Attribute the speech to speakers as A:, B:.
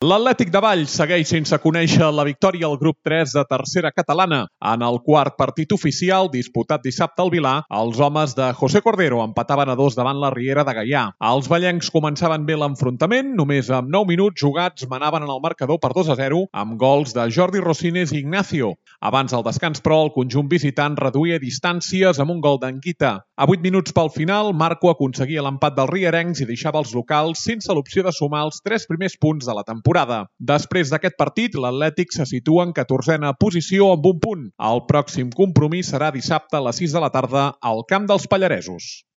A: L'Atlètic de Valls segueix sense conèixer la victòria al grup 3 de tercera catalana. En el quart partit oficial, disputat dissabte al Vilar, els homes de José Cordero empataven a 2 davant la Riera de Gaià. Els vallencs començaven bé l'enfrontament, només amb 9 minuts jugats manaven en el marcador per 2-0 amb gols de Jordi Rosines i Ignacio. Abans del descans, però, el conjunt visitant reduïa distàncies amb un gol d'Anguita. A 8 minuts pel final, Marco aconseguia l'empat dels rierencs i deixava els locals sense l'opció de sumar els 3 primers punts de la temporada. Després d'aquest partit, l'Atlètic se situa en 14a posició amb un punt. El pròxim compromís serà dissabte a les 6 de la tarda al Camp dels Pallaresos.